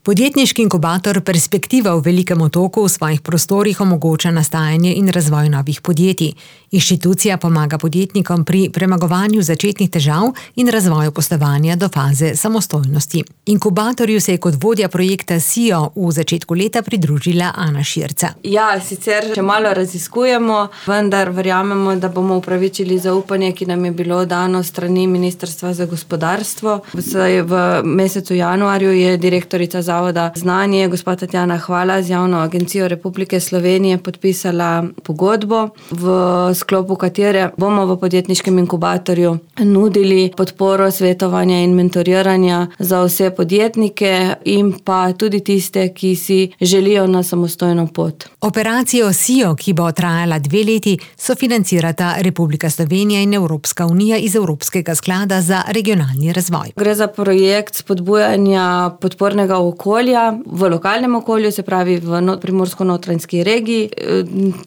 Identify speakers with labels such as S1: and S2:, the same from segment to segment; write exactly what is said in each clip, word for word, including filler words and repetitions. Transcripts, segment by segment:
S1: Podjetniški inkubator Perspektiva v Velikem Otoku v svojih prostorih omogoča nastajanje in razvoj novih podjetij. Inštitucija pomaga podjetnikom pri premagovanju začetnih težav in razvoju poslovanja do faze samostojnosti. Inkubatorju se je kot vodja projekta S I O v začetku leta pridružila Ana Širca.
S2: Ja, sicer še malo raziskujemo, vendar verjamemo, da bomo upravičili zaupanje, ki nam je bilo dano strani Ministrstva za gospodarstvo. V mesecu januarju je direktorica Zavoda Znanje, gospa Tatjana Hvala, z Javno agencijo Republike Slovenije podpisala pogodbo, v sklopu katere bomo v podjetniškem inkubatorju nudili podporo svetovanja in mentoriranja za vse podjetnike in pa tudi tiste, ki si želijo na samostojno pot.
S1: Operacijo S I O, ki bo trajala dve leti, sofinancirata Republika Slovenija in Evropska unija iz Evropskega sklada za regionalni razvoj.
S2: Gre za projekt spodbujanja podpornega okolja v lokalnem okolju, se pravi v Primorsko-notranjski regiji.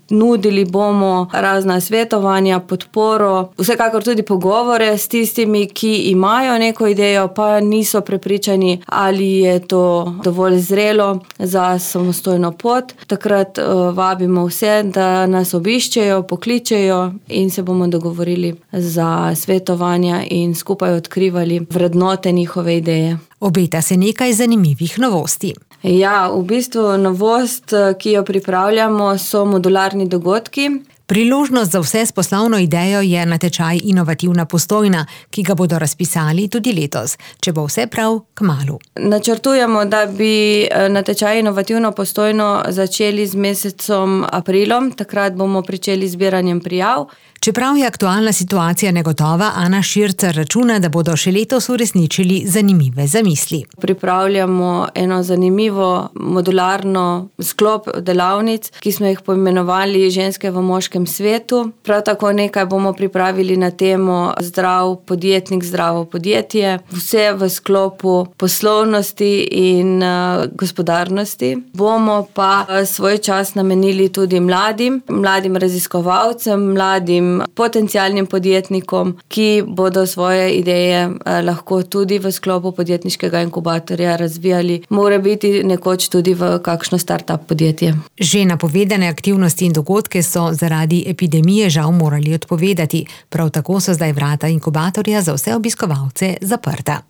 S2: Nudili bomo razna svetovanja, podporo, vsekakor tudi pogovore s tistimi, ki imajo neko idejo, pa niso prepričani, ali je to dovolj zrelo za samostojno pot. Takrat uh, vabimo vse, da nas obiščejo, pokličejo in se bomo dogovorili za svetovanja in skupaj odkrivali vrednote njihove ideje.
S1: Obeta se nekaj zanimivih novosti.
S2: Ja, v bistvu novost, ki jo pripravljamo, so modularni dogodki.
S1: Priložnost za vse s poslovno idejo je natečaj Inovativna Postojna, ki ga bodo razpisali tudi letos, če bo vse prav, kmalu.
S2: Načrtujemo, da bi natečaj Inovativno Postojno začeli z mesecom aprilom, takrat bomo pričeli z zbiranjem prijav.
S1: Čeprav je aktualna situacija negotova, Ana Širca računa, da bodo še letos uresničili zanimive zamisli.
S2: Pripravljamo eno zanimivo modularno sklop delavnic, ki smo jih poimenovali Ženske v moškem svetu. Prav tako nekaj bomo pripravili na temo Zdrav podjetnik, zdravo podjetje. Vse v sklopu poslovnosti in uh, gospodarnosti. Bomo pa svoj čas namenili tudi mladim, mladim raziskovalcem, mladim potencialnim podjetnikom, ki bodo svoje ideje eh, lahko tudi v sklopu podjetniškega inkubatorja razvijali, mora biti nekoč tudi v kakšno start-up podjetje.
S1: Že napovedane aktivnosti in dogodke so zaradi epidemije žal morali odpovedati. Prav tako so zdaj vrata inkubatorja za vse obiskovalce zaprta.